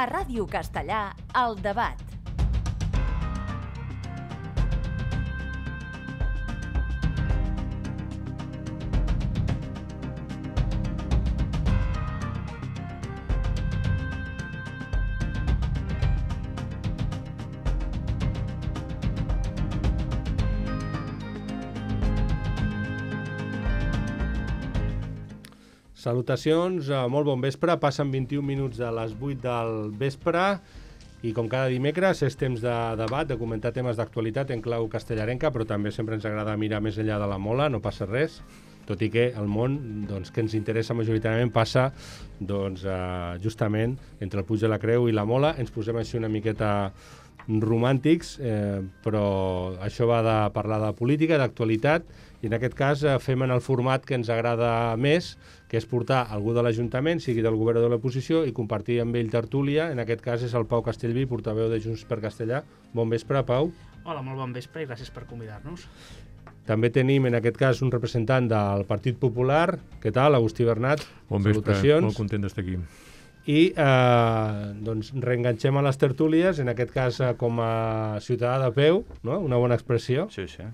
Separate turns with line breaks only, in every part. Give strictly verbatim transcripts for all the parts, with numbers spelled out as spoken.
A Ràdio Castellà, El Debat.
Salutacions, molt bon vespre. Passen vint-i-un minuts de les vuit del vespre i com cada dimecres és temps de debat, de comentar temes d'actualitat en clau castellarenca, però també sempre ens agrada mirar més enllà de la mola, no passa res, tot i que el món doncs, que ens interessa majoritàriament passa doncs, eh, justament entre el Puig de la Creu i la Mola. Ens posem així una miqueta romàntics, eh, però això va de parlar de política, d'actualitat, i en aquest cas eh, fem en el format que ens agrada més, que és portar algú de l'Ajuntament, sigui del govern o de l'oposició, i compartir amb ell tertúlia. En aquest cas és el Pau Castellví, portaveu de Junts per Castellà. Bon vespre, Pau.
Hola, molt bon vespre i gràcies per convidar-nos.
També tenim en aquest cas un representant del Partit Popular. Què tal, Agustí Bernat?
Bon vespre,
salutacions.
Molt content d'estar aquí.
I eh, doncs reenganxem a les tertúlies, en aquest cas eh, com a ciutadà de peu, no? Una bona expressió.
Sí, sí.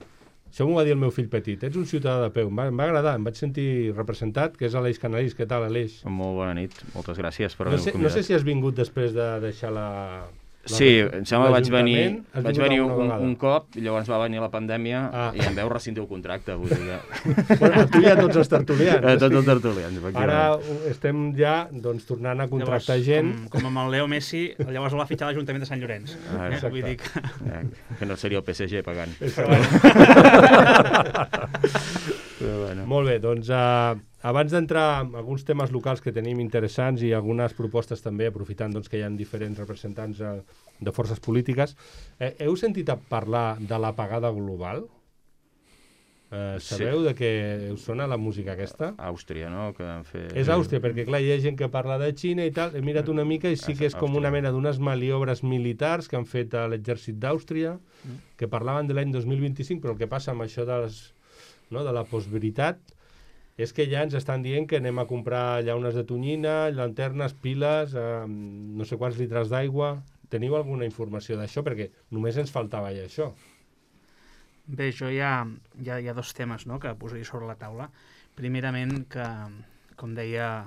Això m'ho va dir el meu fill petit, ets un ciutadà de peu. Em va, em va agradar, em vaig sentir representat, que és Aleix Canalís. Què tal, Aleix?
Molt bona nit, moltes gràcies per
no
haver-me
sé,
convidat.
No sé si has vingut després de deixar la... la
Sí, em sembla que vaig venir,
Has
vaig
vingut
venir
alguna
un,
vegada?
un cop, i llavors va venir la pandèmia
Ah.
i em veu rescindir el contracte. Vull dir que...
Bueno, tu i a tots els tertulians.
Eh, Tots els tertulians,
Ara
efectivament.
uh, estem ja doncs, tornant a contractar
Llavors,
gent.
Com, com amb el Leo Messi, llavors el va fitxar l'Ajuntament de Sant Llorenç.
Ah,
Eh?
exacte.
Vull dir que...
Eh, que no seria el P S G pagant.
Però
Però bueno.
Molt bé, doncs uh, abans d'entrar en alguns temes locals que tenim interessants i algunes propostes també, aprofitant doncs, que hi ha diferents representants uh, de forces polítiques, eh, heu sentit a parlar de l'apagada global? Eh, sabeu
Sí.
de què us sona la música aquesta?
Àustria, no? Que han fet...
És Àustria, perquè clar, hi ha gent que parla de Xina i tal, he mirat una mica i sí que és com una mena d'unes maniobres militars que han fet a l'exèrcit d'Àustria, que parlaven de l'any dos mil vint-i-cinc, però el que passa amb això de, les, no, de la postveritat és que ja ens estan dient que anem a comprar llaunes de tonyina, llanternes, piles, eh, no sé quants litres d'aigua. Teniu alguna informació d'això? Perquè només ens faltava ja això.
Bé, jo hi ha, hi ha, hi ha dos temes, no?, que posaria sobre la taula. Primerament, que, com deia,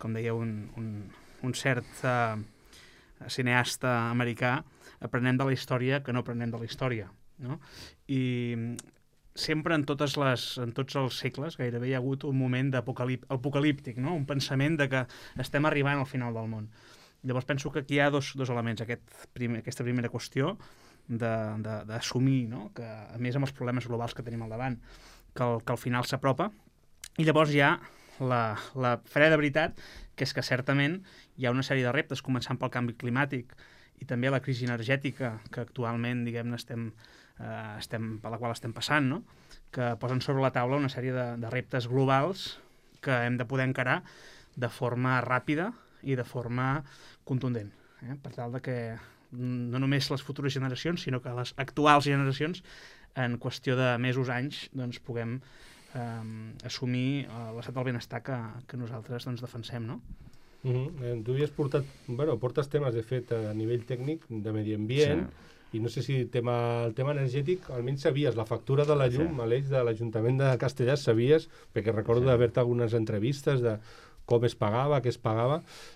com deia un, un, un cert uh, cineasta americà, aprenem de la història que no aprenem de la història, no? I sempre en, totes les, en tots els segles gairebé hi ha hagut un moment d'apocalip- apocalíptic, no? Un pensament de que estem arribant al final del món. Llavors penso que aquí hi ha dos, dos elements. Aquest primer, aquesta primera qüestió d'assumir, no?, que a més amb els problemes globals que tenim al davant, que, el, que al final s'apropa. I llavors hi ha la, la freda veritat, que és que certament hi ha una sèrie de reptes, començant pel canvi climàtic i també la crisi energètica que actualment, diguem-ne, estem, eh, estem, per la qual estem passant, no?, que posen sobre la taula una sèrie de, de reptes globals que hem de poder encarar de forma ràpida i de forma contundent, eh? Per tal de que no només les futures generacions, sinó que les actuals generacions, en qüestió de mesos, anys, doncs puguem eh, assumir eh, l'estat del benestar que, que nosaltres doncs, defensem, no?
Mm-hmm. Tu havies portat, bueno, portes temes, de fet, a nivell tècnic, de medi ambient, sí. I no sé si el tema, el tema energètic, almenys sabies, la factura de la llum, sí. A l'eix de l'Ajuntament de Castellà, sabies, perquè recordo sí. d'haver-te algunes entrevistes de com es pagava, què es pagava.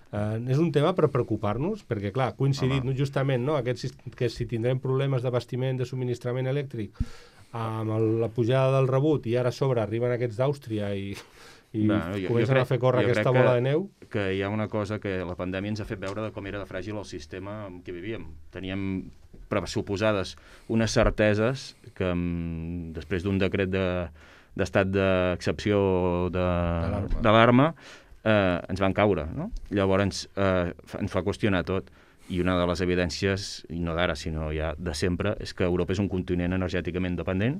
Eh, és un tema per preocupar-nos, perquè, clar, ha coincidit no, justament no, aquest, que si tindrem problemes d'abastiment, de subministrament elèctric, amb el, la pujada del rebut, i ara a sobre arriben aquests d'Àustria i, i bueno, jo, comencen jo crec, a fer córrer aquesta bola
que,
de neu.
Que hi ha una cosa que la pandèmia ens ha fet veure de com era de fràgil el sistema en què vivíem. Teníem pressuposades unes certeses que després d'un decret de, d'estat d'excepció d'alarma Eh, ens van caure, no? Llavors eh, ens fa qüestionar tot, i una de les evidències, i no d'ara, sinó ja de sempre, és que Europa és un continent energèticament dependent,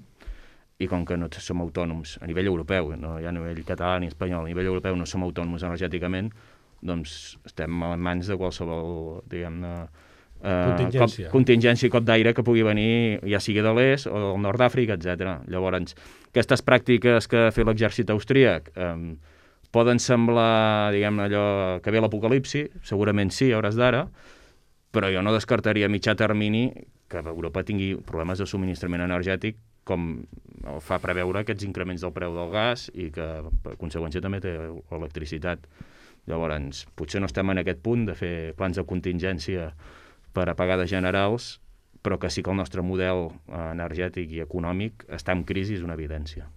i com que no som autònoms a nivell europeu, no ja a nivell català ni espanyol, a nivell europeu no som autònoms energèticament, doncs estem en mans de qualsevol, diguem-ne, eh,
contingència.
Cop, contingència i cop d'aire que pugui venir, ja sigui de l'est o del nord d'Àfrica, etcètera. Llavors, aquestes pràctiques que ha fet l'exèrcit austríac, eh, poden semblar, diguem allò, que ve l'apocalipsi, segurament sí, a hores d'ara, però jo no descartaria a mitjà termini que Europa tingui problemes de subministrament energètic, com fa preveure aquests increments del preu del gas i que, per conseqüència, també té l'electricitat. Llavors, potser no estem en aquest punt de fer plans de contingència per apagades generals, però que sí que el nostre model energètic i econòmic està en crisi, és una evidència.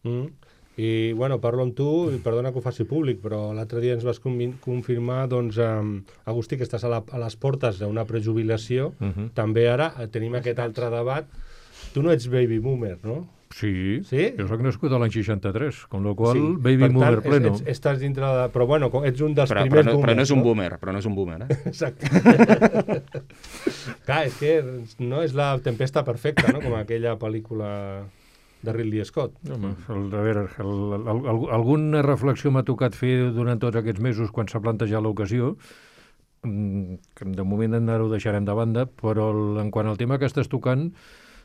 Mm. I, bueno, parlo amb tu, i perdona que ho faci públic, però l'altre dia ens vas confirmar, doncs, um, Agustí, que estàs a, la, a les portes d'una prejubilació. Uh-huh. També ara tenim aquest altre debat. Tu no ets baby boomer, no?
Sí,
sí?
Jo soc nascut a l'any seixanta-tres, con lo qual
sí.
baby
per
boomer
tant,
pleno.
Ets, estàs dintre de... Però bueno, ets un dels
però,
primers
però no,
boomers,
però no és un
no?
boomer, però no és un boomer, eh?
Exacte. Clar, és que no és la tempesta perfecta, no? Com aquella pel·lícula de Ridley Scott.
Home, el, a veure, el, el, el, alguna reflexió m'ha tocat fer durant tots aquests mesos quan s'ha plantejat l'ocasió, que de moment ara ho deixarem de banda, però el, en quant al tema que estàs tocant,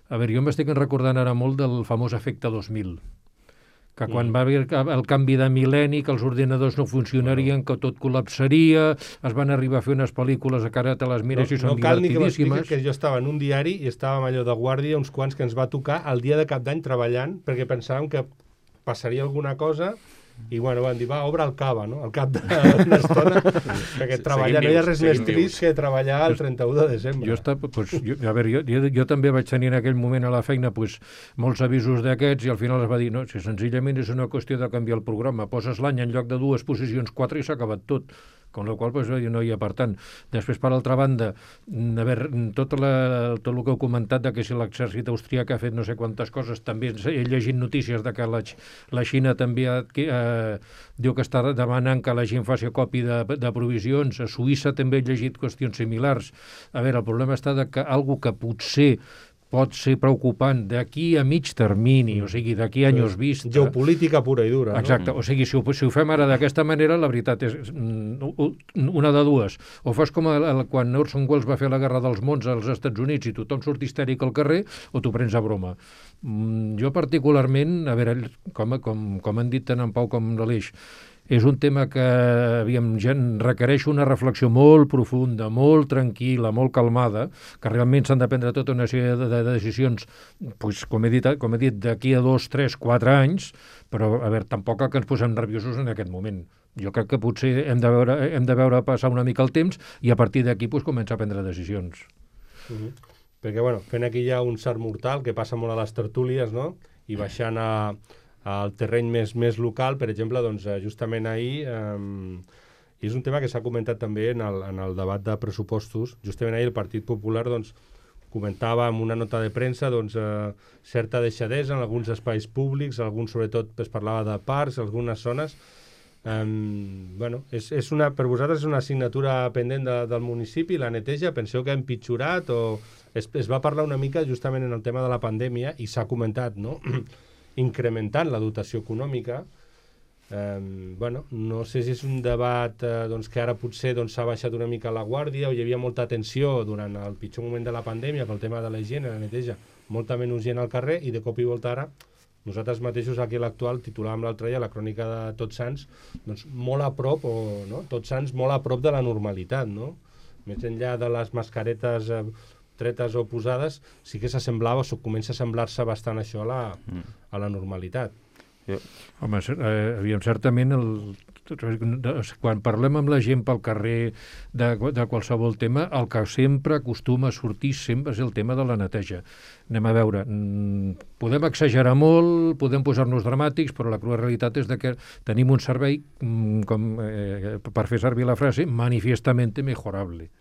a veure, jo m'estic recordant ara molt del famós efecte dos mil, que quan mm. va haver el canvi de mil·lenni, que els ordinadors no funcionarien, que tot col·lapsaria, es van arribar a fer unes pel·lícules que ara te les mires
no,
i són
no cal
divertidíssimes.
ni que m'expliquis que jo estava en un diari i estàvem allò de guàrdia, uns quants que ens va tocar el dia de cap d'any treballant, perquè pensàvem que passaria alguna cosa, i bueno, van dir, va, obre el cava, no?, al cap d'una estona, perquè sí, treballar, no hi ha res més trist que treballar el trenta-u de desembre.
Jo, està, pues, jo, a veure, jo, jo, jo també vaig tenir en aquell moment a la feina pues, molts avisos d'aquests i al final es va dir, no, si senzillament és una qüestió de canviar el programa, poses l'any en lloc de dues posicions, quatre i s'ha acabat tot. Con la qual cosa pues, no hi ha, per tant. Després, per altra banda, a veure, tot, la, tot el que heu comentat de que si l'exèrcit austríac ha fet no sé quantes coses, també he llegit notícies de que la, la Xina també ha, eh, diu que està demanant que la gent faci copi de, de provisions. A Suïssa també he llegit qüestions similars. A veure, el problema està de que algo que potser pot ser preocupant d'aquí a mig termini, o sigui, d'aquí a anys vista.
Geopolítica pura i dura,
exacte,
no?
O sigui, si ho, si ho fem ara d'aquesta manera, la veritat és una de dues. O fas com el, el, quan Orson Welles va fer la Guerra dels Mons als Estats Units i tothom surt histèric al carrer, o t'ho prens a broma. Mm, jo particularment, a veure, com, com, com han dit tant en Pau com l'Aleix, és un tema que aviam, requereix una reflexió molt profunda, molt tranquil·la, molt calmada, que realment s'han de prendre tota una sèrie de, de decisions, pues, com he dit, com he dit d'aquí a dos, tres, quatre anys, però a veure, tampoc que ens posem nerviosos en aquest moment. Jo crec que potser hem de veure, hem de veure passar una mica el temps i a partir d'aquí pues, començar a prendre decisions.
Uh-huh. Perquè, bueno, fent aquí ja un sart mortal que passa molt a les tertúlies, no?, i baixant a al terreny més, més local, per exemple, doncs, justament ahir, eh, és un tema que s'ha comentat també en el, en el debat de pressupostos, justament ahir el Partit Popular doncs, comentava en una nota de premsa doncs, eh, certa deixadesa en alguns espais públics, alguns sobretot es parlava de parcs, algunes zones. Eh, bueno, és, és una, per vosaltres és una assignatura pendent de, del municipi, la neteja, penseu que ha empitjorat o es, es va parlar una mica justament en el tema de la pandèmia i s'ha comentat, no?, incrementant la dotació econòmica. Eh, bueno, no sé si és un debat eh, doncs, que ara potser doncs, s'ha baixat una mica la guàrdia o hi havia molta tensió durant el pitjor moment de la pandèmia pel tema de la higiene, la neteja, molta menys gent al carrer i de cop i volta ara nosaltres mateixos aquí a l'actual titulàvem l'altre dia la crònica de Tots Sants, doncs molt a prop, o no? Tots Sants molt a prop de la normalitat, no? Més enllà de les mascaretes eh, tretes o posades, sí que s'assemblava, o comença a semblar-se bastant això a la, a la normalitat.
Yeah. Home, eh, aviam, certament, el, quan parlem amb la gent pel carrer de, de qualsevol tema, el que sempre acostuma a sortir sempre és el tema de la neteja. Anem a veure, podem exagerar molt, podem posar-nos dramàtics, però la crua realitat és de que tenim un servei, com, eh, per fer servir la frase, manifestamente mejorable.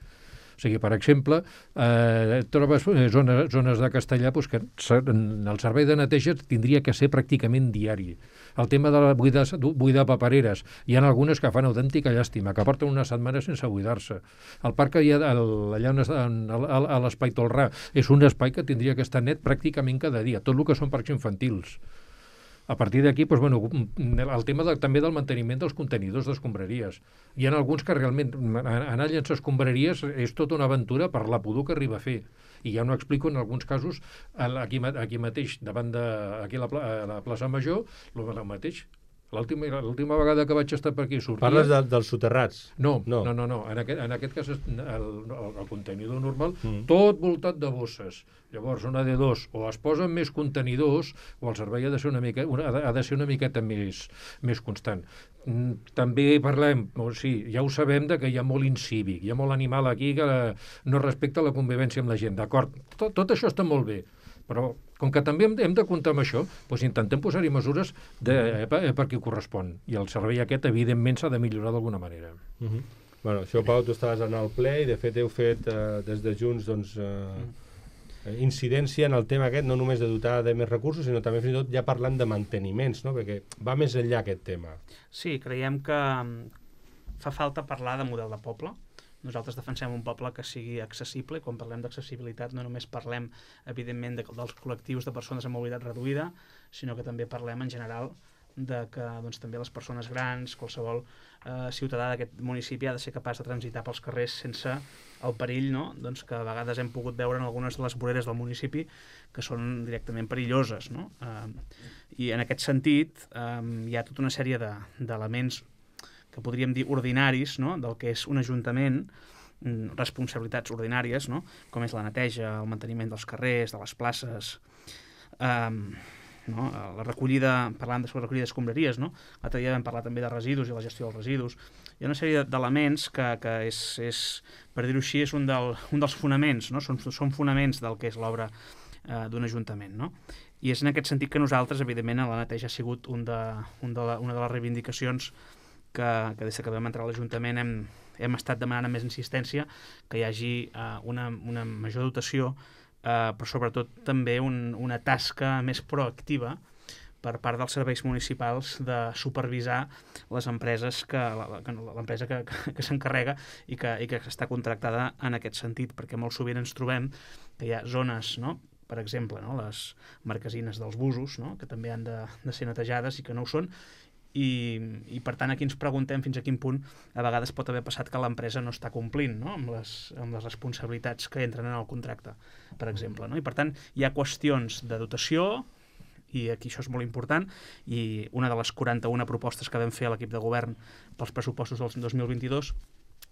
O sigui, per exemple, eh, trobes zones, zones de Castellà pues, que el servei de neteja tindria que ser pràcticament diari. El tema de la buidar, buidar papereres, hi ha algunes que fan autèntica llàstima, que porten una setmana sense buidar-se. El parc que hi ha el, allà on està, a, a l'Espai Tolrà és un espai que tindria que estar net pràcticament cada dia, tot el que són parcs infantils. A partir d'aquí, doncs, bueno, el tema de, també del manteniment dels contenidors d'escombraries. Hi ha alguns que realment anar a llençar escombraries és tota una aventura per la pudor que arriba a fer. I ja no explico en alguns casos, aquí, aquí mateix, davant de aquí a la, a la plaça Major, el mateix, L'última vegada que vaig estar per aquí sortia...
Parles de, dels soterrats?
No,
no,
no, no. no. En, aquest, en aquest cas, el, el, el contenidor normal,
mm.
tot voltat de bosses. Llavors, una de dos, o es posen més contenidors, o el servei ha de ser una, mica, una, ha de ser una miqueta més, més constant. També parlem, o sigui, ja ho sabem, de que hi ha molt incívic, hi ha molt animal aquí que no respecta la convivència amb la gent. D'acord, tot, tot això està molt bé, però com que també hem, hem de comptar amb això, doncs intentem posar-hi mesures de, eh, per, eh, per qui correspon. I el servei aquest, evidentment, s'ha de millorar d'alguna manera.
Uh -huh. Bueno, això, Pau, tu estaves en el ple i, de fet, heu fet eh, des de Junts doncs, eh, incidència en el tema aquest, no només de dotar de més recursos, sinó també fins i tot ja parlant de manteniments, no? Perquè va més enllà aquest tema.
Sí, creiem que fa falta parlar de model de poble. Nosaltres defensem un poble que sigui accessible, i quan parlem d'accessibilitat no només parlem, evidentment, de, dels col·lectius de persones amb mobilitat reduïda, sinó que també parlem en general de que doncs, també les persones grans, qualsevol eh, ciutadà d'aquest municipi ha de ser capaç de transitar pels carrers sense el perill, no? Doncs que a vegades hem pogut veure en algunes de les voreres del municipi que són directament perilloses, no? Eh, I en aquest sentit eh, hi ha tota una sèrie de, d'elements que podríem dir ordinaris, no? Del que és un ajuntament, responsabilitats ordinàries, no? Com és la neteja, el manteniment dels carrers, de les places, eh, no? La recollida, parlant de la recollida d'escombraries, no? L'altre dia vam parlar també de residus i la gestió dels residus. Hi ha una sèrie d'elements que, que és, és, per dir-ho així, és un, del, un dels fonaments, no? Són, són fonaments del que és l'obra eh, d'un ajuntament, no? I és en aquest sentit que nosaltres, evidentment, la neteja ha sigut un de, un de la, una de les reivindicacions que, que des que vam entrar a l'Ajuntament hem, hem estat demanant amb més insistència que hi hagi uh, una, una major dotació, uh, però sobretot també un, una tasca més proactiva per part dels serveis municipals de supervisar les empreses que l'empresa que, que, que s'encarrega i que, i que està contractada en aquest sentit, perquè molt sovint ens trobem que hi ha zones, no? Per exemple, no? Les marquesines dels busos, no? Que també han de, de ser netejades i que no ho són. I, i per tant aquí ens preguntem fins a quin punt a vegades pot haver passat que l'empresa no està complint, no? amb, les, amb les responsabilitats que entren en el contracte, per exemple, no? I per tant hi ha qüestions de dotació, i aquí això és molt important, i una de les quaranta-una propostes que vam fer a l'equip de govern pels pressupostos del dos mil vint-i-dos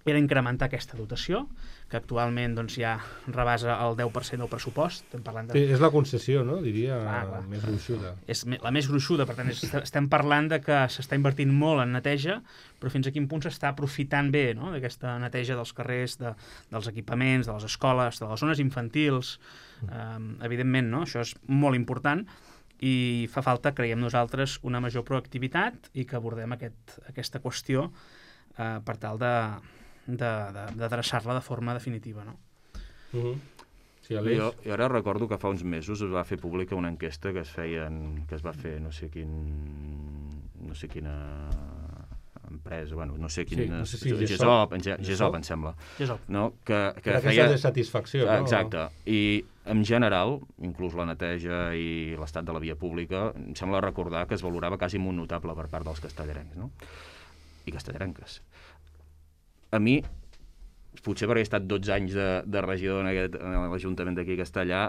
era incrementar aquesta dotació, que actualment doncs, ja rebasa el deu per cent del pressupost. Estem parlant de...
Sí, és la concessió, no? Diria,
clar, clar.
més gruixuda.
És la més gruixuda, per tant, és, estem parlant de que s'està invertint molt en neteja, però fins a quin punt s'està aprofitant bé, no? D'aquesta neteja dels carrers, de, dels equipaments, de les escoles, de les zones infantils. Um, evidentment, no? Això és molt important i fa falta, creiem nosaltres, una major proactivitat i que abordem aquest, aquesta qüestió uh, per tal de d'adreçar-la de, de forma definitiva, no?
Uh-huh. Sí,
jo, jo ara recordo que fa uns mesos es va fer pública una enquesta que es feien, que es va fer no sé quin no sé quina empresa, bueno, no sé quin...
Sí, no sé si
Gesop, Gesop, em sembla.
Gesop.
No? Que, que
feia... de satisfacció, no?
Exacte. I en general, inclús la neteja i l'estat de la via pública, em sembla recordar que es valorava quasi un notable per part dels castellarencs, no? I castellarenques. A mi, potser perquè he estat dotze anys de, de regidor en, aquest, en l'Ajuntament d'aquí a Castellà,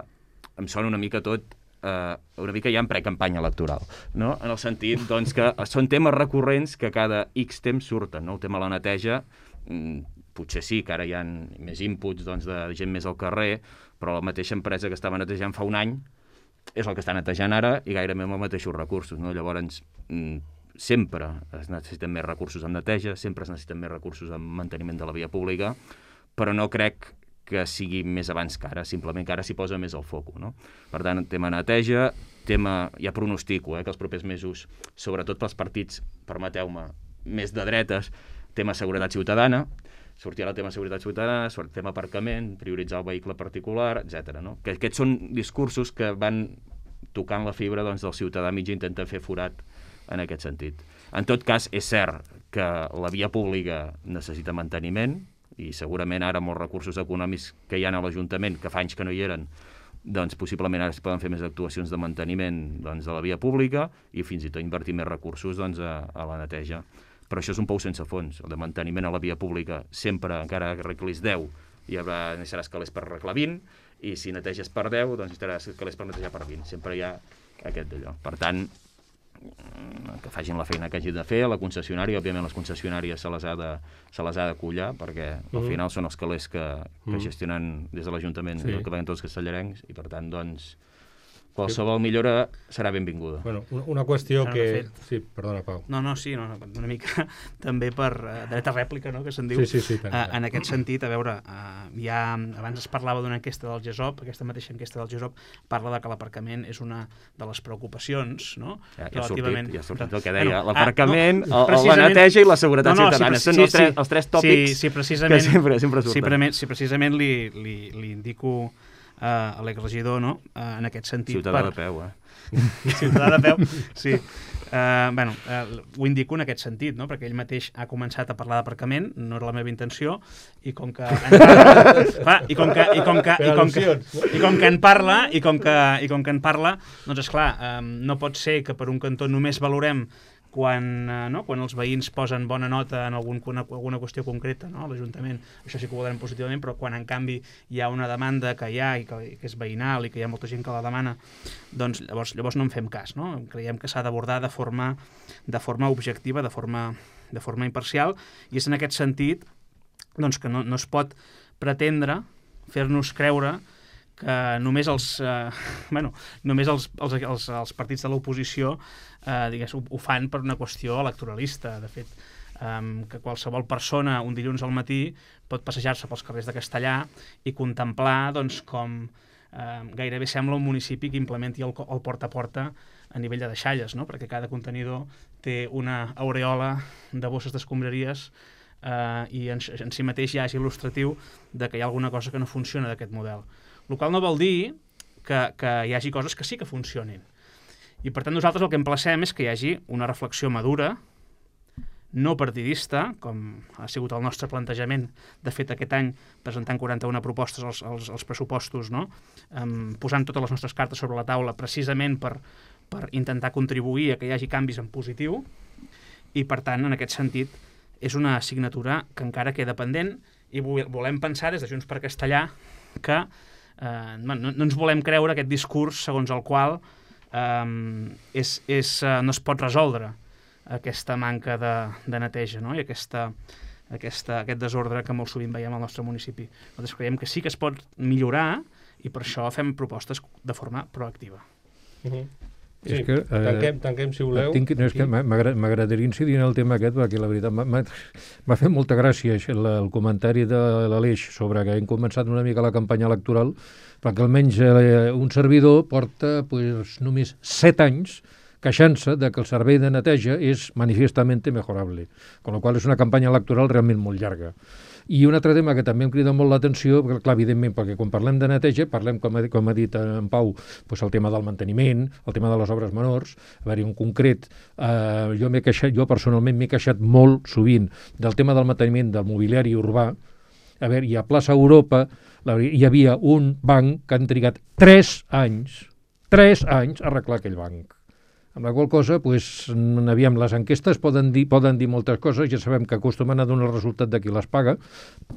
em sona una mica tot, eh, una mica ja en precampanya electoral, no? En el sentit doncs, que són temes recurrents que cada X temps surten, no? El tema de la neteja, mmm, potser sí que ara hi ha més inputs doncs, de gent més al carrer, però la mateixa empresa que estava netejant fa un any és el que està netejant ara i gairebé amb els mateixos recursos, no? Llavors, mmm, sempre es necessiten més recursos en neteja, sempre es necessiten més recursos en manteniment de la via pública, però no crec que sigui més abans que ara, simplement que ara s'hi posa més el foc, no? Per tant, tema neteja, tema, ja pronostico, eh, que els propers mesos, sobretot pels partits, permeteu-me, més de dretes, tema seguretat ciutadana, sortirà el tema seguretat ciutadana, el tema aparcament, prioritzar el vehicle particular, etcètera, no? Que aquests són discursos que van tocant la fibra doncs, del ciutadà mig i intenten fer forat en aquest sentit. En tot cas, és cert que la via pública necessita manteniment i segurament ara amb els recursos econòmics que hi ha a l'Ajuntament, que fa anys que no hi eren, doncs possiblement ara es poden fer més actuacions de manteniment doncs, de la via pública i fins i tot invertir més recursos doncs, a, a la neteja. Però això és un pou sense fons. El de manteniment a la via pública sempre, encara que arreglis deu, hi haurà, necessitaràs calés per arreglar vint, i si neteges per deu, doncs necessitaràs calés per netejar per vint. Sempre hi ha aquest d'allò. Per tant, que facin la feina que hagin de fer, la concessionària, òbviament les concessionàries se les ha de, se les ha de collar, perquè al
Mm.
final són els calés que, que
Mm.
gestionen des de l'Ajuntament,
Sí.
que veuen tots els castellarencs, i per tant, doncs, qualsevol millora serà benvinguda.
Bueno, una, una qüestió
Bueno,
que...
de fet-
Sí, perdona, Pau.
No, no, sí, no, no, una mica també per uh, dret a rèplica, no?, que se'n diu.
Sí, sí, sí, tant,
Uh,
tant.
en aquest sentit, a veure, uh, ja abans es parlava d'una enquesta del GESOP, aquesta mateixa enquesta del GESOP parla de que l'aparcament és una de les preocupacions, no?
Ja, ja ha sortit,
Relativament-
ja ha sortit el que deia,
Bueno,
l'aparcament,
ah, no,
el- la
precisament-
neteja i la seguretat
No, no, sí,
ciutadana.
sí,
Són
sí,
els, tres,
sí.
els tres tòpics
sí, sí, precisament,
que sempre, sempre
sí,
surten.
precisament, sí, precisament li, li, li indico uh, a l'exregidor, no?, uh, en aquest sentit.
Ciutadà
per-
de peu, eh?
Ciutadà de peu, sí. Uh, bueno, uh, ho indico en aquest sentit, no?, perquè ell mateix ha començat a parlar d'aparcament, no era la meva intenció, i com que encara, clar, i com que i com que i com que, i com que en parla i com que i com que en parla, doncs és clar, um, no pot ser que per un cantó només valorem quan, uh, no? quan els veïns posen bona nota en algun, una, alguna qüestió concreta, no?, a l'Ajuntament, això sí que ho valorem positivament, però quan en canvi hi ha una demanda que hi ha i que, que és veïnal i que hi ha molta gent que la demana, doncs llavors, llavors no en fem cas, no? Creiem que s'ha d'abordar de forma, de forma objectiva, de forma, de forma imparcial, i és en aquest sentit doncs, que no, no es pot pretendre fer-nos creure que només els, eh, bueno, només els, els, els, els partits de l'oposició eh, digués, ho, ho fan per una qüestió electoralista. De fet, eh, que qualsevol persona un dilluns al matí pot passejar-se pels carrers de Castellà i contemplar doncs, com eh, gairebé sembla un municipi que implementi el, el porta a porta a nivell de deixalles, no? Perquè cada contenidor té una aureola de bosses d'escombraries eh, i en, en si mateix ja és il·lustratiu de que hi ha alguna cosa que no funciona d'aquest model. El qual no vol dir que, que hi hagi coses que sí que funcionin. I per tant nosaltres el que emplacem és que hi hagi una reflexió madura, no partidista, com ha sigut el nostre plantejament, de fet aquest any presentant quaranta-una propostes als, als, als pressupostos, no? um, posant totes les nostres cartes sobre la taula precisament per, per intentar contribuir a que hi hagi canvis en positiu, i per tant en aquest sentit és una assignatura que encara queda pendent i volem pensar des de Junts per Castellà que eh, no, no ens volem creure aquest discurs segons el qual eh, és, és, eh, no es pot resoldre aquesta manca de, de neteja, no? I aquesta, aquesta, aquest desordre que molt sovint veiem al nostre municipi. Nosaltres creiem que sí que es pot millorar i per això fem propostes de forma proactiva.
Uh-huh. Sí,
És que, eh,
tanquem, tanquem, si voleu.
Tinc, no, és que m'agradaria incidir en el tema aquest, perquè la veritat m'ha fet molta gràcia això, el comentari de l'Aleix sobre que hem començat una mica la campanya electoral, perquè almenys eh, un servidor porta pues, només set anys queixant-se de que el servei de neteja és manifestament mejorable, con lo qual és una campanya electoral realment molt llarga. I un altre tema que també em crida molt l'atenció, perquè, clar, evidentment, perquè quan parlem de neteja, parlem, com ha, com ha dit en Pau, doncs el tema del manteniment, el tema de les obres menors. A veure, en concret, eh, jo m'he queixat, jo personalment m'he queixat molt sovint del tema del manteniment del mobiliari urbà. A veure, i a Plaça Europa la, hi havia un banc que han trigat tres anys, tres anys a arreglar aquell banc. Amb la qual cosa, pues, aviam, les enquestes poden dir, poden dir moltes coses, ja sabem que acostumen a donar el resultat de qui les paga,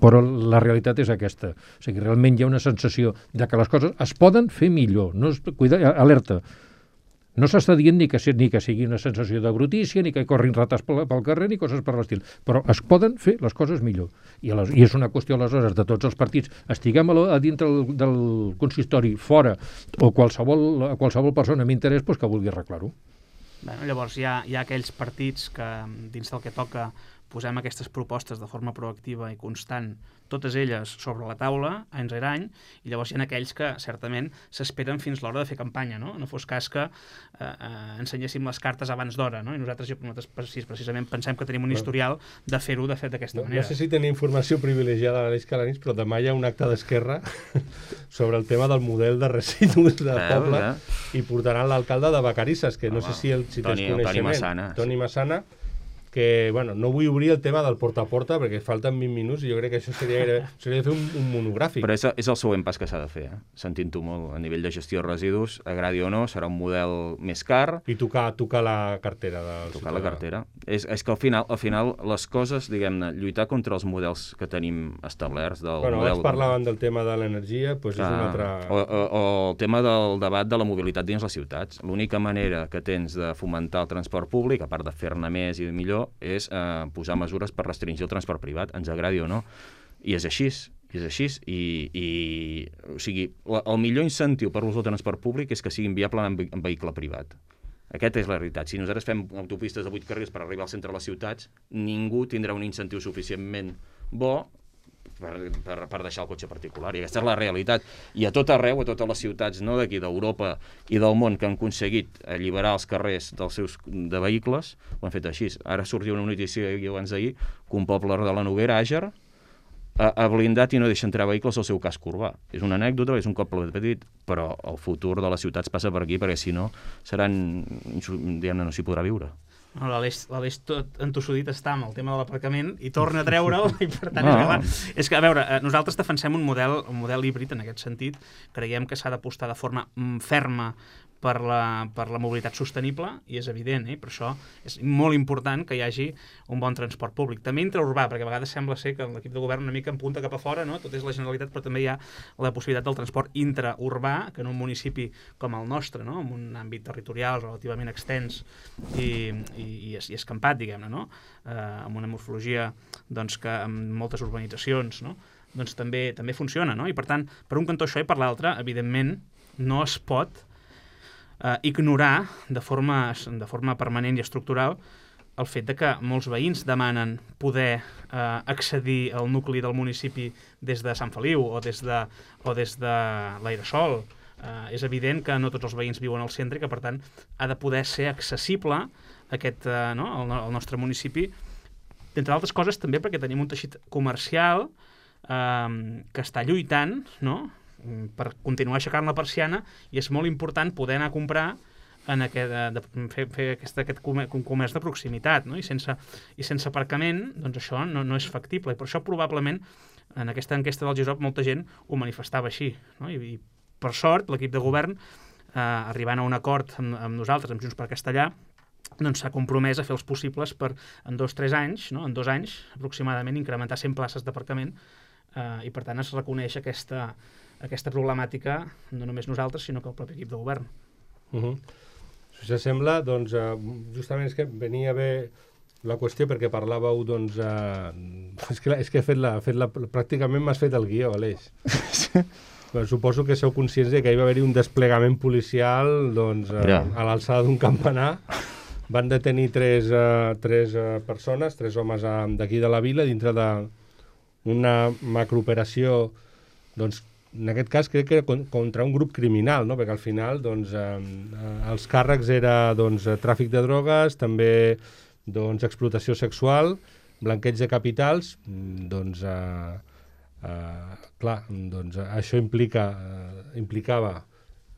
però la realitat és aquesta. O sigui, realment hi ha una sensació de que les coses es poden fer millor. No es, cuida, alerta. No s'està dient ni que, ni que sigui una sensació de brutícia, ni que corrin rates pel, pel carrer, ni coses per l'estil. Però es poden fer les coses millor. I, les, i és una qüestió, aleshores, de tots els partits. Estiguem a, a dintre del, del consistori, fora, o qualsevol, qualsevol persona amb interès pues, que vulgui arreglar-ho.
Bueno, llavors hi ha, hi ha aquells partits que dins del que toca posem aquestes propostes de forma proactiva i constant, totes elles sobre la taula, any rere any, i llavors hi ha aquells que certament s'esperen fins l'hora de fer campanya, no? No fos cas que eh, eh, ensenyéssim les cartes abans d'hora, no? I nosaltres, nosaltres precisament pensem que tenim un historial de fer-ho de fet d'aquesta
no,
manera.
No sé si tenia informació privilegiada l'Aleix Calanís, però demà hi ha un acte d'Esquerra sobre el tema del model de residus del
eh,
poble
eh.
i portaran l'alcalde de Vacarisses, que no
Home,
sé si, el, si
Toni,
tens coneixement.
Toni Massana.
Toni Massana, que, bueno, no vull obrir el tema del porta a porta perquè falten vint minuts i jo crec que això seria, seria fer un, un monogràfic.
Però és, és el següent pas que s'ha de fer, eh? Sentint-ho molt, a nivell de gestió de residus, agradi o no, serà un model més car.
I tocar, tocar la cartera del
Tocar la cartera. És, és que al final, al final les coses, diguem-ne, lluitar contra els models que tenim establerts del
bueno,
model...
abans parlaven del tema de l'energia, doncs és un altre...
O, o, o el tema del debat de la mobilitat dins les ciutats. L'única manera que tens de fomentar el transport públic, a part de fer-ne més i millor, és eh, posar mesures per restringir el transport privat, ens agradi o no. I és així, i és així. I, i, o sigui, la, el millor incentiu per l'ús del transport públic és que sigui inviable en, en vehicle privat. Aquesta és la realitat. Si nosaltres fem autopistes de vuit carrils per arribar al centre de les ciutats, ningú tindrà un incentiu suficientment bo per, per, per deixar el cotxe particular. I aquesta és la realitat. I a tot arreu, a totes les ciutats, no d'aquí, d'Europa i del món, que han aconseguit alliberar els carrers dels seus de vehicles, ho han fet així. Ara sortia una notícia abans d'ahir que un poble de la Noguera, Àger, ha, ha blindat i no deixa entrar vehicles al seu casc urbà. És una anècdota, és un poble petit, però el futur de les ciutats passa per aquí, perquè si no, seran, diguem-ne, no s'hi podrà viure.
No, l'Aleix tot entossudit està amb el tema de l'aparcament i torna a treure'l i per tant
No.
és, clar, és que, a veure, nosaltres defensem un model, un model híbrid en aquest sentit. Creiem que s'ha d'apostar de forma mm, ferma per la, per la mobilitat sostenible i és evident, eh? Per això és molt important que hi hagi un bon transport públic. També intraurbà, perquè a vegades sembla ser que l'equip de govern una mica empunta cap a fora, no? Tot és la Generalitat, però també hi ha la possibilitat del transport intraurbà, que en un municipi com el nostre, no? En un àmbit territorial relativament extens i, i, i, i escampat, diguem-ne, no? Eh, amb una morfologia doncs, que amb moltes urbanitzacions, no? Doncs també, també funciona, no? I per tant, per un cantó això i per l'altre, evidentment, no es pot Uh, ignorar de forma, de forma permanent i estructural el fet de que molts veïns demanen poder uh, accedir al nucli del municipi des de Sant Feliu o des de, o des de l'Airesol. Uh, és evident que no tots els veïns viuen al centre i que, per tant, ha de poder ser accessible aquest, uh, no? el, el nostre municipi, entre altres coses també perquè tenim un teixit comercial uh, que està lluitant, no?, per continuar aixecant la persiana, i és molt important poder anar a comprar en aquest, de, fer, fer aquest, aquest comerç de proximitat, no? I sense, i sense aparcament, doncs això no, no és factible, i per això probablement en aquesta enquesta del GESOP molta gent ho manifestava així, no? I, i per sort l'equip de govern, eh, arribant a un acord amb, amb nosaltres, amb Junts per Castellar, doncs s'ha compromès a fer els possibles per en dos o tres anys, no? En dos anys aproximadament, incrementar cent places d'aparcament, eh, i per tant es reconeix aquesta aquesta problemàtica, no només nosaltres, sinó que el propi equip de govern.
Uh -huh. Si sembla, doncs, uh, justament és que venia bé la qüestió perquè parlàveu, doncs, uh, és que, és que he fet la, fet la, pràcticament m'has fet el guió, Aleix. Però suposo que sou conscients de que hi va haver-hi un desplegament policial, doncs, uh,
ja.
a l'alçada d'un campanar. Van detenir tres, uh, tres uh, persones, tres homes uh, d'aquí de la vila, dintre d'una macrooperació, doncs, en aquest cas crec que contra un grup criminal, no? Perquè al final doncs, eh, els càrrecs era doncs, tràfic de drogues, també doncs, explotació sexual, blanqueig de capitals, doncs, eh, eh, clar, doncs, això implica, eh, implicava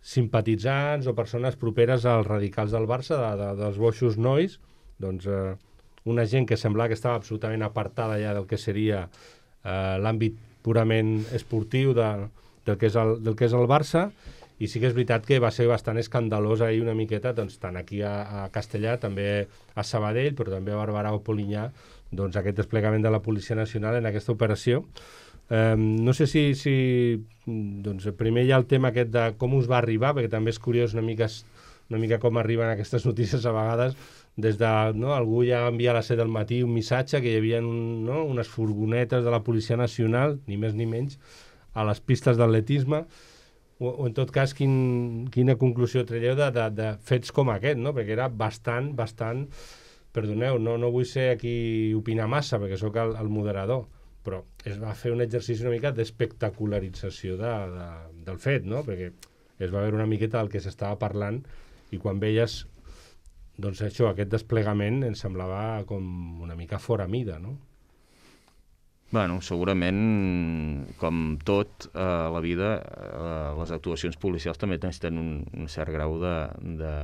simpatitzants o persones properes als radicals del Barça, de, de, dels boixos nois, doncs, eh, una gent que semblava que estava absolutament apartada ja del que seria eh, l'àmbit purament esportiu de, del, que és el, del que és el Barça, i sí que és veritat que va ser bastant escandalós ahir una miqueta, doncs, tant aquí a, a Castellà, també a Sabadell, però també a Barberà o Polinyà, doncs, aquest desplegament de la Policia Nacional en aquesta operació. Eh, no sé si, si doncs, primer hi ha el tema aquest de com us va arribar, perquè també és curiós una mica, una mica com arriben aquestes notícies a vegades, des de, no, algú ja va enviar a les set del matí un missatge que hi havia un, no, unes furgonetes de la Policia Nacional, ni més ni menys, a les pistes d'atletisme, o, o en tot cas quin, quina conclusió traieu de, de, de fets com aquest, no? Perquè era bastant, bastant, perdoneu, no, no vull ser aquí opinar massa perquè sóc el, el moderador, però es va fer un exercici una mica d'espectacularització de, de, del fet, no? Perquè es va veure una miqueta del que s'estava parlant i quan veies doncs això, aquest desplegament em semblava com una mica fora mida, no?
Bueno, segurament, com tot a eh, la vida, eh, les actuacions policials també necessiten un, un cert grau de, de,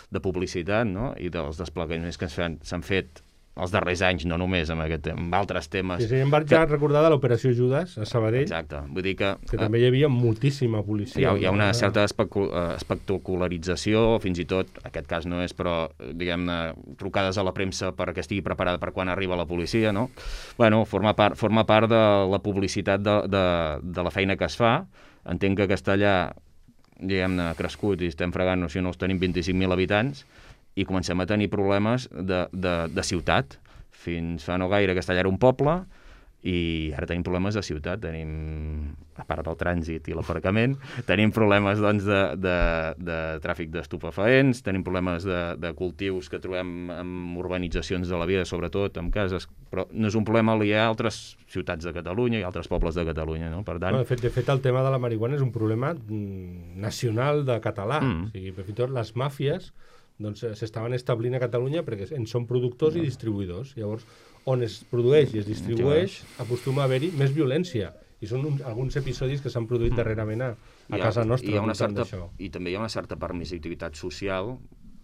de publicitat, no? I dels desplegaments que s'han fet els darrers anys, no només amb, aquest, amb altres temes.
Sí, sí, em vaig que... recordar de l'operació Judas a Sabadell.
Exacte, vull dir que...
Que també hi havia moltíssima policia.
Hi ha, hi ha una certa especu espectacularització, fins i tot, aquest cas no és, però, diguem-ne, trucades a la premsa perquè estigui preparada per quan arriba la policia, no? Bueno, forma part, forma part de la publicitat de, de, de la feina que es fa. Entenc que Castellà, diguem-ne, ha crescut i estem fregant, no sé, no els tenim vint-i-cinc mil habitants, i comencem a tenir problemes de, de, de ciutat. Fins fa no gaire Castellà era un poble i ara tenim problemes de ciutat. Tenim, a part del trànsit i l'aparcament, tenim problemes doncs, de, de, de tràfic d'estupefaents, tenim problemes de, de cultius que trobem en urbanitzacions de la vida, sobretot en cases, però no és un problema aliè a altres ciutats de Catalunya i altres pobles de Catalunya, no? Per tant...
No, de, fet, de fet, el tema de la marihuana és un problema nacional de català. Mm. O sigui, fins i tot les màfies doncs s'estaven establint a Catalunya perquè en són productors i distribuïdors. Llavors, on es produeix i es distribueix, acostuma a haver-hi més violència. I són un, alguns episodis que s'han produït darrerament a, a ha, casa nostra.
Una certa, I també hi ha una certa permissivitat social.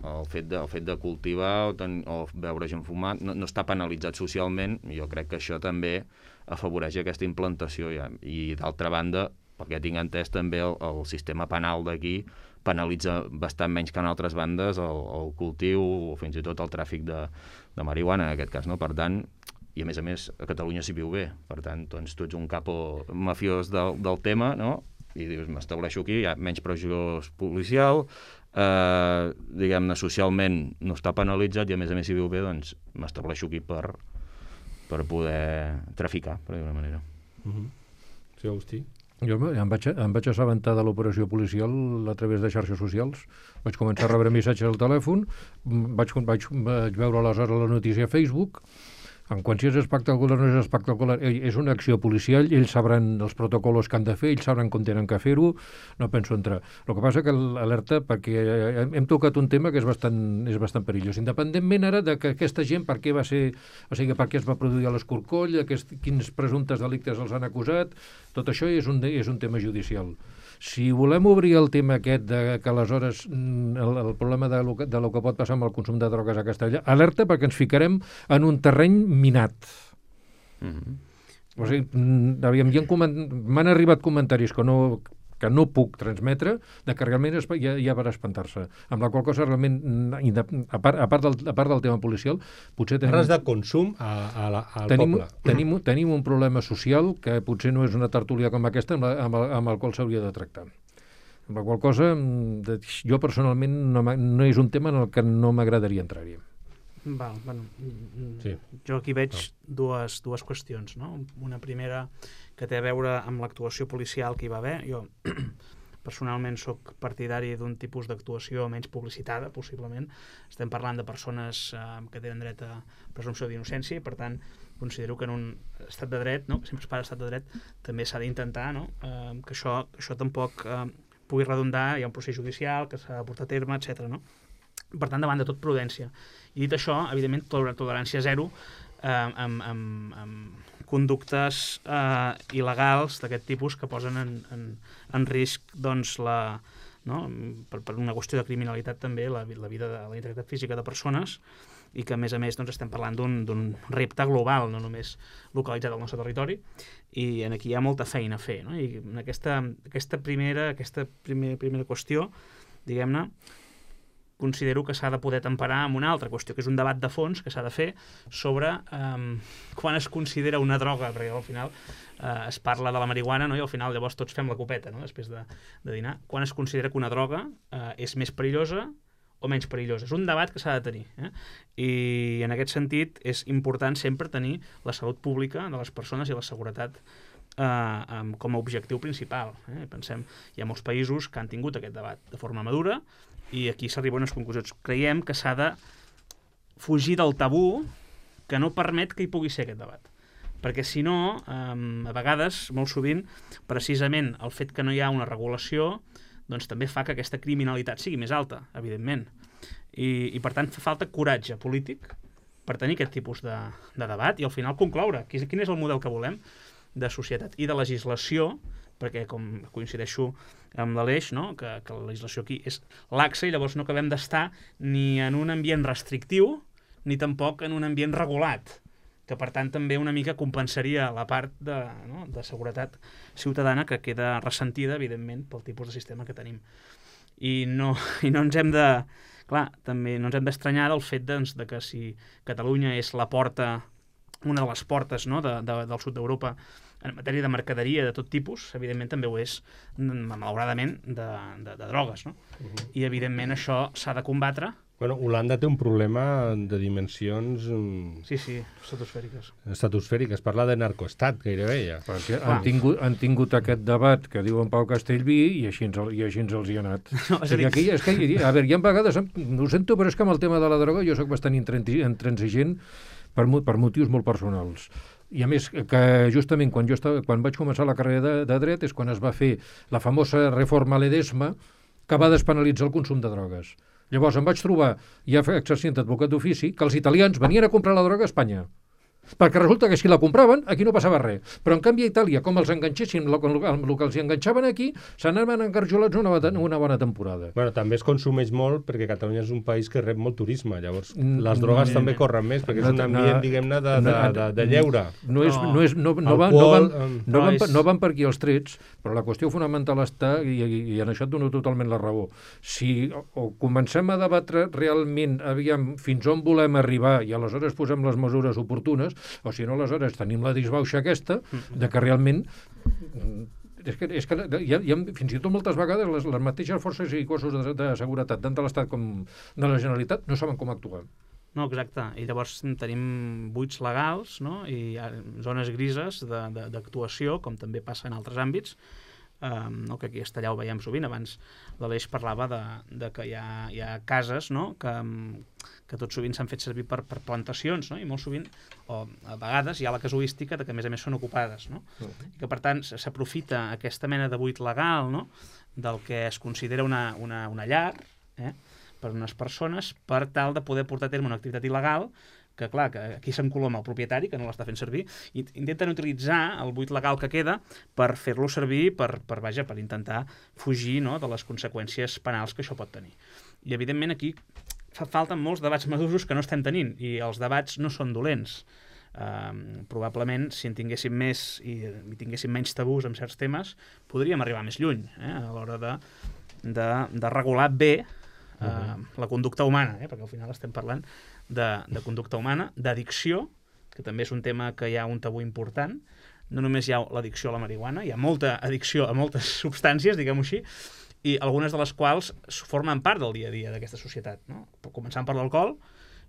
El fet de, el fet de cultivar o, ten, o beure gent fumar no, no està penalitzat socialment. Jo crec que això també afavoreix aquesta implantació. Ja. I d'altra banda, perquè tinc entès també el, el sistema penal d'aquí penalitza bastant menys que en altres bandes el, el cultiu o fins i tot el tràfic de, de marihuana, en aquest cas, no? Per tant, i a més a més, a Catalunya s'hi viu bé. Per tant, doncs, tu ets un capo mafiós del, del tema, no? I dius, m'estableixo aquí, hi ha menys pressió policial, eh, diguem-ne, socialment no està penalitzat i a més a més s'hi viu bé, doncs m'estableixo aquí per, per poder traficar, per dir-ho d'una manera.
Mm-hmm. Sí, Agustí?
Jo em vaig, em vaig assabentar de l'operació policial a través de xarxes socials. Vaig començar a rebre missatges al telèfon, vaig, vaig, vaig veure aleshores la notícia a Facebook. En quan si és espectacular o no és espectacular, és una acció policial, ells sabran els protocols que han de fer, ells sabran com tenen que fer-ho, no penso entrar. El que passa que l'alerta, perquè hem tocat un tema que és bastant, és bastant perillós. Independentment ara de que aquesta gent, per què va ser, o sigui, per què es va produir a l'Escorcoll, aquest, quins presumptes delictes els han acusat, tot això és un, és un tema judicial. Si volem obrir el tema aquest de que aleshores el, el problema de lo, que, de lo que pot passar amb el consum de drogues a Castellà, alerta perquè ens ficarem en un terreny minat. Mm-hmm. O sigui, aviam, m'han arribat comentaris que no, que no puc transmetre, de que realment es, ja, ja per espantar-se. Amb la qual cosa, realment, a part, a part, del, a part del tema policial, potser tenim...
Res de consum a, a la, al
tenim,
poble.
Tenim, tenim un problema social que potser no és una tertúlia com aquesta amb, la, amb, el, amb el qual s'hauria de tractar. Amb la qual cosa, jo personalment no, no és un tema en el que no m'agradaria entrar-hi.
Val, bueno,
sí.
Jo aquí veig dues, dues qüestions, no? Una primera que té a veure amb l'actuació policial que hi va haver. Jo personalment sóc partidari d'un tipus d'actuació menys publicitada, possiblement. Estem parlant de persones eh, que tenen dret a presumpció d'innocència i, per tant, considero que en un estat de dret, no? que sempre es parla d'estat de dret, també s'ha d'intentar, no? eh, que, això, que això tampoc eh, pugui redundar, hi ha un procés judicial que s'ha de portar a terme, etcètera. No? Per tant, davant de tot, prudència. I dit això, evidentment, tolerància zero eh, amb, amb, amb conductes eh, il·legals d'aquest tipus que posen en, en, en risc doncs, la, no? per, per una qüestió de criminalitat també la, la vida de la integritat física de persones i que a més a més doncs, estem parlant d'un repte global, no només localitzat al nostre territori, i en aquí hi ha molta feina a fer, no? I en aquesta, aquesta primera aquesta primer, primera qüestió, diguem-ne, considero que s'ha de poder temperar amb una altra qüestió, que és un debat de fons que s'ha de fer sobre um, quan es considera una droga, perquè al final uh, es parla de la marihuana, no? I al final llavors tots fem la copeta, no? Després de, de dinar. Quan es considera que una droga uh, és més perillosa o menys perillosa? És un debat que s'ha de tenir. Eh? I en aquest sentit és important sempre tenir la salut pública de les persones i la seguretat Uh, um, com a objectiu principal. Eh? Pensem, hi ha molts països que han tingut aquest debat de forma madura i aquí s'arriba a unes conclusions. Creiem que s'ha de fugir del tabú que no permet que hi pugui ser aquest debat. Perquè si no, um, a vegades, molt sovint, precisament el fet que no hi ha una regulació doncs també fa que aquesta criminalitat sigui més alta, evidentment. I, i per tant fa falta coratge polític per tenir aquest tipus de, de debat i al final concloure quin és el model que volem de societat i de legislació, perquè com coincideixo amb l'Aleix, no? que, que la legislació aquí és laxa i llavors no acabem d'estar ni en un ambient restrictiu ni tampoc en un ambient regulat, que per tant també una mica compensaria la part de, no? de seguretat ciutadana que queda ressentida, evidentment, pel tipus de sistema que tenim. I no, i no ens hem de... Clar, també no ens hem d'estranyar del fet doncs, de que si Catalunya és la porta, una de les portes no? de, de, del sud d'Europa en matèria de mercaderia de tot tipus, evidentment també ho és, malauradament, de, de, de drogues. No? Uh-huh. I, evidentment, això s'ha de combatre.
Bueno, Holanda té un problema de dimensions...
Sí, sí, estratosfèriques.
Estratosfèriques. Parla de narcoestat, gairebé, ja.
Perquè han tingut, han tingut aquest debat que diu en Pau Castellví i així, ens, i així ens els hi ha anat. No, és, dir... aquí, és que, a veure, hi ha vegades, no ho sento, però és que amb el tema de la droga jo sóc bastant intransigent per, per motius molt personals. I a més, que justament quan jo estava, quan vaig començar la carrera de, de dret és quan es va fer la famosa reforma Ledesma que va despenalitzar el consum de drogues. Llavors em vaig trobar, ja exercint d'advocat d'ofici, que els italians venien a comprar la droga a Espanya. Perquè resulta que si la compraven, aquí no passava res. Però en canvi a Itàlia, com els enganxessin, el que els enganxaven aquí, se n'anaven engarjolats una, una bona temporada.
Bueno, també es consumeix molt perquè Catalunya és un país que rep molt turisme, llavors les drogues no, també corren més, perquè és un ambient, diguem-ne, de, de, de, de lleure.
No, és, no, és, no, no, van, no, van, no, van, no van per aquí els trets, però la qüestió fonamental està, i, i en això et dono totalment la raó, si o comencem a debatre realment, aviam, fins on volem arribar i aleshores posem les mesures oportunes, o si no, aleshores tenim la disbauxa aquesta de que realment és que, és que hi ha, hi ha fins i tot moltes vegades les, les mateixes forces i cossos de, de seguretat tant de l'Estat com de la Generalitat no saben com actuar.
No, exacte. I llavors tenim buits legals, no? I hi ha zones grises d'actuació, com també passa en altres àmbits, Um, no, que aquí a Estellà ho veiem sovint. Abans l'Aleix parlava de, de que hi ha, hi ha cases, no? que, que tot sovint s'han fet servir per, per plantacions, no? I molt sovint, o a vegades hi ha la casuística de que a més a més són ocupades, no? Uh -huh. I que per tant s'aprofita aquesta mena de buit legal, no? Del que es considera una, una, una llar, eh? per unes persones, per tal de poder portar a terme una activitat il·legal que, clar, que aquí s'encoloma el propietari, que no l'està fent servir, i intenten utilitzar el buit legal que queda per fer-lo servir, per, per, vaja, per intentar fugir, no?, de les conseqüències penals que això pot tenir. I, evidentment, aquí fa falten molts debats madurs que no estem tenint, i els debats no són dolents. Uh, probablement, si en tinguéssim més i, i tinguéssim menys tabús en certs temes, podríem arribar més lluny, eh, a l'hora de, de, de regular bé uh, uh-huh. la conducta humana, eh, perquè al final estem parlant De, de conducta humana, d'addicció, que també és un tema que hi ha un tabú important. No només hi ha l'addicció a la marihuana, hi ha molta addicció a moltes substàncies, diguem-ho així, i algunes de les quals formen part del dia a dia d'aquesta societat, no? Començant per l'alcohol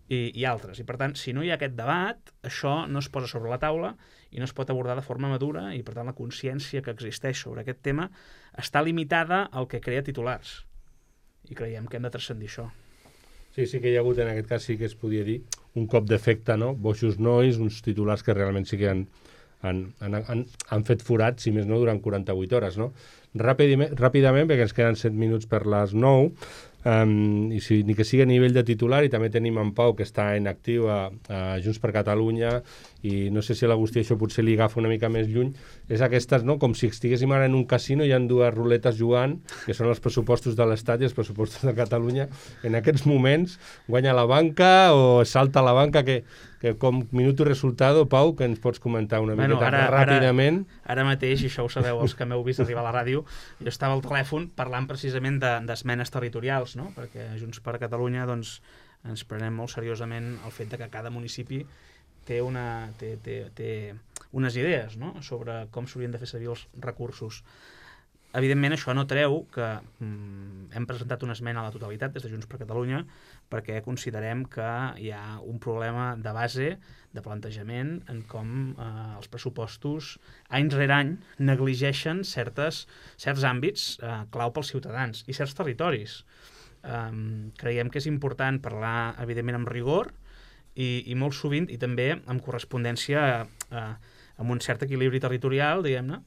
i, i altres. I per tant, si no hi ha aquest debat, això no es posa sobre la taula i no es pot abordar de forma madura, i per tant la consciència que existeix sobre aquest tema està limitada al que crea titulars. I creiem que hem de transcendir això.
Sí, sí que hi ha hagut, en aquest cas sí que es podia dir, un cop d'efecte, no? Boixos nois, uns titulars que realment sí que han, han, han, han fet forat, si més no, durant quaranta-vuit hores, no? Ràpidament, ràpidament, perquè ens queden set minuts per les nou, um, i si, ni que sigui a nivell de titular, i també tenim en Pau, que està en actiu a, a Junts per Catalunya, i no sé si a l'Agustí això potser li agafa una mica més lluny, és aquestes, no?, com si estiguéssim ara en un casino i hi ha dues ruletes jugant, que són els pressupostos de l'Estat i els pressupostos de Catalunya. En aquests moments guanya la banca o salta la banca, que, que com minuto resultado, Pau, que ens pots comentar una bueno, miqueta ara, ràpidament.
Ara, ara mateix, i això ho sabeu els que m'heu vist arribar a la ràdio, jo estava al telèfon parlant precisament d'esmenes de, territorials, no? Perquè Junts per Catalunya doncs, ens prenem molt seriosament el fet de que cada municipi té, una, té, té, té unes idees, no?, sobre com s'haurien de fer servir els recursos. Evidentment, això no treu que mm, hem presentat una esmena a la totalitat des de Junts per Catalunya perquè considerem que hi ha un problema de base, de plantejament, en com eh, els pressupostos, any rere any, negligeixen certes, certs àmbits eh, clau pels ciutadans i certs territoris. Um, creiem que és important parlar, evidentment, amb rigor i, i molt sovint, i també amb correspondència eh, amb un cert equilibri territorial, diguem-ne.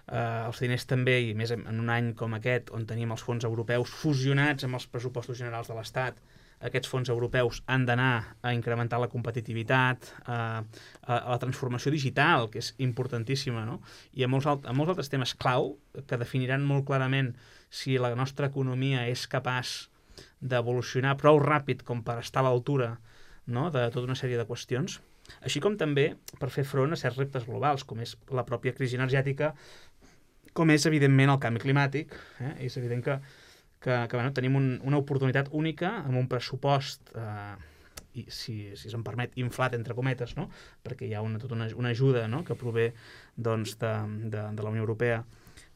Uh, els diners també, i més en un any com aquest, on tenim els fons europeus fusionats amb els pressupostos generals de l'Estat, aquests fons europeus han d'anar a incrementar la competitivitat, a, a, a la transformació digital, que és importantíssima, no? I a molts, alt, a molts altres temes clau que definiran molt clarament si la nostra economia és capaç d'evolucionar prou ràpid com per estar a l'altura, no?, de tota una sèrie de qüestions, així com també per fer front a certs reptes globals, com és la pròpia crisi energètica, com és, evidentment, el canvi climàtic. Eh? És evident que que, que bueno, tenim un, una oportunitat única amb un pressupost, eh, i si, si se'm permet, inflat, entre cometes, no? Perquè hi ha una, tota una, una ajuda, no?, que prové doncs, de, de, de la Unió Europea,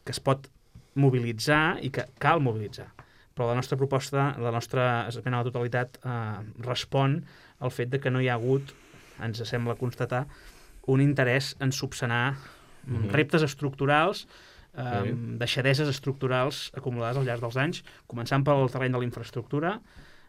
que es pot mobilitzar i que cal mobilitzar. Però la nostra proposta, la nostra esmena a la totalitat, eh, respon al fet de que no hi ha hagut, ens sembla constatar, un interès en subsanar mm-hmm. reptes estructurals, eh, deixadeses estructurals acumulades al llarg dels anys, començant pel terreny de la infraestructura,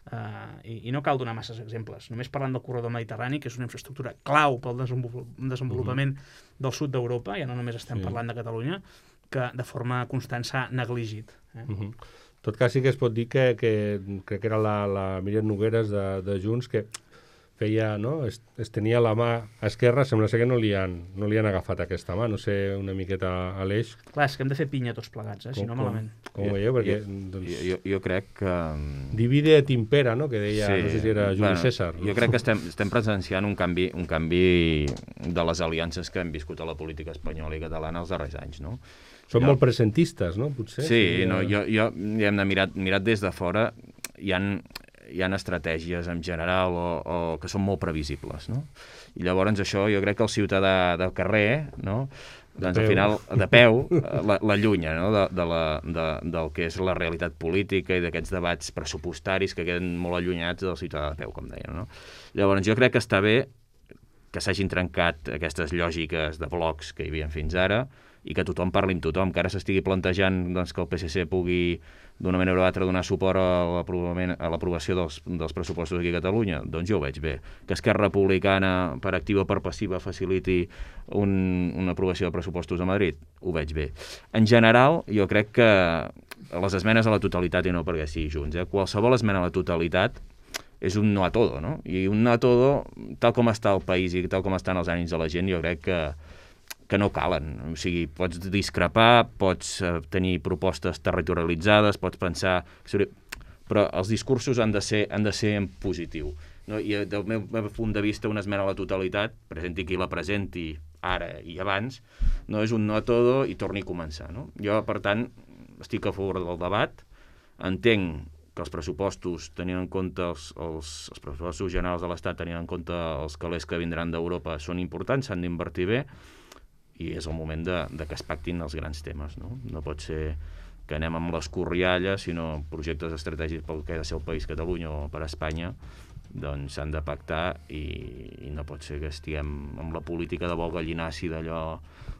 eh, i, i no cal donar masses exemples. Només parlant del corredor mediterrani, que és una infraestructura clau pel desenvolupament uh-huh. del sud d'Europa, ja no només estem sí. parlant de Catalunya, que de forma constant s'ha negligit. Eh?
Uh-huh. En tot cas sí que es pot dir que, que crec que era la, la Míriam Nogueres de, de Junts, que feia, no? Es, es tenia la mà esquerra, sembla ser que no li han, no li han agafat aquesta mà, no sé, una miqueta a l'eix.
Clar, és que hem de fer pinya tots plegats, eh? Com, si no malament.
Com, com ho veieu? Perquè,
jo,
doncs,
jo, jo crec que...
Divide et impera, no?, que deia, sí. no sé si era Juli bueno, César.
Jo crec que estem, estem presenciant un canvi, un canvi de les aliances que hem viscut a la política espanyola i catalana els darrers anys, no?
Són
jo,
molt presentistes, no?, potser.
Sí, sí no, jo, jo ja hem de mirar, mirat des de fora, hi ha... hi ha estratègies en general o, o que són molt previsibles, no? I llavors això jo crec que el ciutadà del carrer, no?, doncs al final, de peu, l'allunya, no?, de, de la, de, del que és la realitat política i d'aquests debats pressupostaris que queden molt allunyats del ciutadà de peu, com deia, no? Llavors jo crec que està bé que s'hagin trencat aquestes lògiques de blocs que hi havia fins ara i que tothom parli amb tothom, que ara s'estigui plantejant doncs, que el P S C pugui d'una manera o altra donar suport a l'aprovació dels, dels pressupostos aquí a Catalunya, doncs jo ho veig bé. Que Esquerra Republicana, per activa o per passiva, faciliti un, una aprovació de pressupostos a Madrid, ho veig bé. En general, jo crec que les esmenes a la totalitat, i no perquè sigui junts, eh? qualsevol esmena a la totalitat és un no a todo, no? I un no a todo, tal com està el país i tal com estan els ànims de la gent, jo crec que que no calen. O sigui, pots discrepar, pots uh, tenir propostes territorialitzades, pots pensar... Però els discursos han de ser, han de ser en positiu. No? I del meu, meu punt de vista, una esmena a la totalitat, presenti qui la presenti ara i abans, no és un no a todo i torni a començar. No? Jo, per tant, estic a favor del debat, entenc que els pressupostos, tenint en compte els, els, els pressupostos generals de l'Estat, tenint en compte els calés que vindran d'Europa, són importants, s'han d'invertir bé, i és el moment de, de que es pactin els grans temes. No, no pot ser que anem amb l'escorrialla, sinó projectes estratègics pel que ha de ser el país Catalunya o per a Espanya, doncs s'han de pactar i, i no pot ser que estiguem amb la política de vol gallinaci d'allò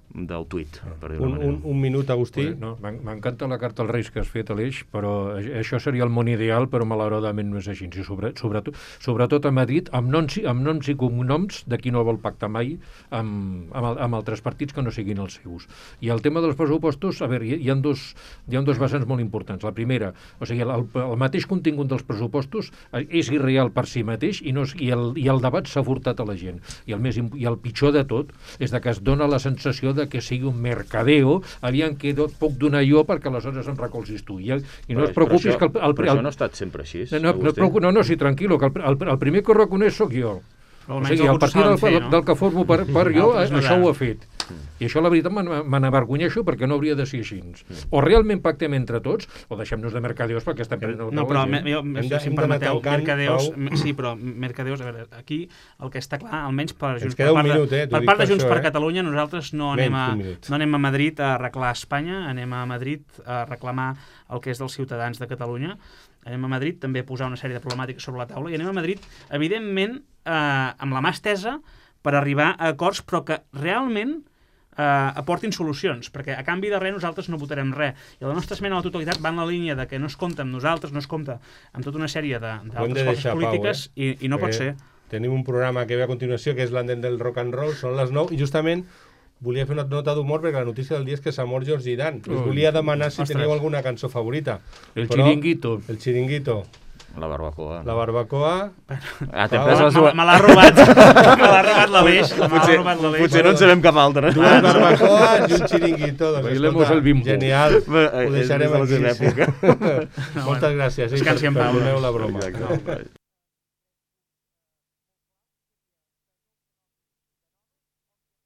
del tuit, per dir-ho
un, un, un minut, Agustí.
No, m'encanta la carta als Reis que has fet, Aleix, però això seria el món ideal, però malauradament no és així. I sobre, sobretot, sobretot a Madrid, amb noms, amb noms i cognoms de qui no vol pactar mai amb, amb, amb altres partits que no siguin els seus. I el tema dels pressupostos, a veure, hi, hi, ha dos, hi ha dos vessants molt importants. La primera, o sigui, el, el mateix contingut dels pressupostos és irreal per si mateix i, no, i, el, i el debat s'ha furtat a la gent. I el, més, i el pitjor de tot és de que es dona la sensació de que sigui un mercadeo, aviam que puc donar jo perquè aleshores em recolzis tu. I, i no
però,
es preocupis
això,
que... El, el,
però
el,
això no ha estat sempre així,
no, no, no, no, no, sí, tranquil·lo, que el, el, el primer que ho reconeix sóc jo. O sigui, a partir del, fer, no? del que formo per, per jo, no, això ho ha fet. I això, la veritat, me n'avergonyeixo perquè no hauria de ser així. O realment pactem entre tots, o deixem-nos de mercadeus perquè estem prenent el
No, però, me, jo,
hem de,
si em permeteu, mercadeus... Sí, però mercadeus, a veure, aquí el que està clar, almenys per, Junts, per part, minut, eh? per part de Junts per, per Catalunya, nosaltres no anem, a, no anem a Madrid a arreglar Espanya, anem a Madrid a reclamar el que és dels ciutadans de Catalunya, anem a Madrid també a posar una sèrie de problemàtiques sobre la taula i anem a Madrid, evidentment, eh, amb la mà estesa per arribar a acords, però que realment eh, aportin solucions, perquè a canvi de res nosaltres no votarem res. I la nostra esmena a la totalitat va en la línia de que no es compta amb nosaltres, no es compta amb tota una sèrie d'altres forces polítiques, Pau, eh? i, i no perquè pot ser.
Tenim un programa que ve a continuació, que és l'Andent del Rock and Roll, són les nou, i justament volia fer una nota d'humor perquè la notícia del dia és que s'ha mort George Dan. Us volia demanar si Ostres. teniu alguna cançó favorita.
El Chiringuito.
El Chiringuito.
La barbacoa.
La barbacoa...
Ah, t'he
Ah,
pres les
Me,
dues...
me l'ha robat. Me l'ha robat l'Aleix. Me l'ha
Potser,
robat l'Aleix.
potser no en sabem cap altra.
Dues barbacoas i un xiringuito. Doncs,
Bailemos
escolta,
el bimbo.
Genial.
Bé,
Ho
és
deixarem
de la
aquí.
seva
Sí.
època.
Moltes gràcies. eh,
Descansi en pau.
Perdoneu la broma.
Exacte.